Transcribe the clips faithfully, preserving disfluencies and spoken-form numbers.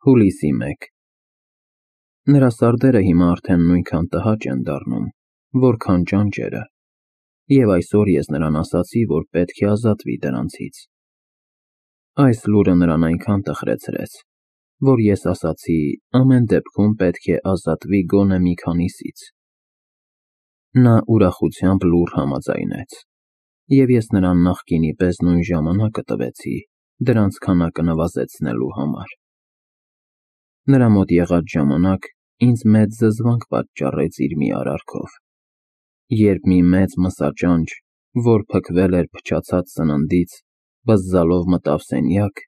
Հուլիսի մեկ Նրա սարդերը հիմա արդեն նույնքան տհաճ են դառնում, որքան ճանճերը, և այսօր ես նրան ասացի, որ պետք է ազատվի դրանցից։ Այս լուրը նրան այնքան տխրեցրեց, որ ես ասացի ամեն դեպքում պետք է ազատվի գոնե մի քանիսից։ Նա ուրախությամբ լուռ համաձայնեց, և ես նրան նախկինի պես նույն ժամանակը տվեցի դրանց քանակը նվազեցնելու համար։ Նրա մոտ եղած ժամանակ ինձ մեծ զզվանք պատճառեց իր մի արարքով։ Երբ մի մեծ մսաճանճ, որ փքվել էր փչացած սննդից, բզզալով մտավ սենյակ,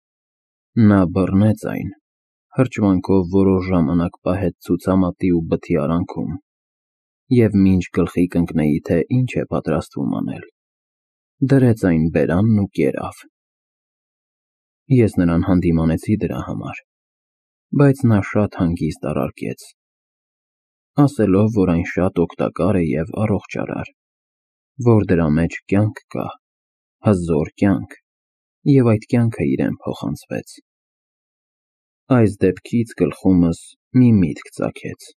նա բռնեց այն, հրճվանքով որոշ ժամանակ պահեց ցուցամատի ու բթի արանքում, և մինչ գլխի կընկնեի, թե ինչ է պատրաստվում անել, դրեց այն բերանն ու կերավ։ Ես նրան հանդիմանեցի դրա համար, բայց նա շատ հանգիստ առարկեց, ասելով, որ այն շատ օգտակար է և առողջարար, որ դրա մեջ կյանք կա, հզոր կյանք, և այդ կյանքը իրեն փոխանցվեց։ Այս դեպքից գլխումս մի միտք ծագեց.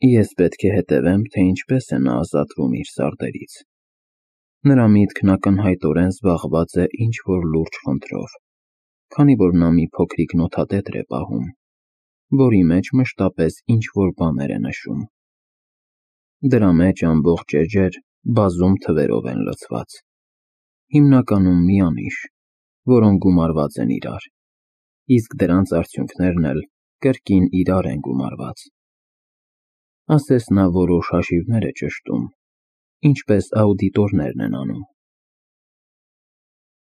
ես պետք է հետևեմ, թե ինչպես է նա ազատվում իր սարդերից։ Նրա միտքն ակնհայտորեն զբաղված է ինչ-որ լուրջ խնդրով, քանի որ նա մի փոքրիկ նոթատետր է պահում, որի մեջ մշտապես ինչ-որ բաներ է նշում։ Դրա մեջ ամբողջ էջեր բազում թվերով են լցված, հիմնականում միանիշ, որոնք գումարված են իրար, իսկ դրանց արդյունքներն էլ կրկին իրար են գումարված։ Ասես նա որոշ հաշիվներ է ճշտում, ինչպես աուդիտորներն են անում։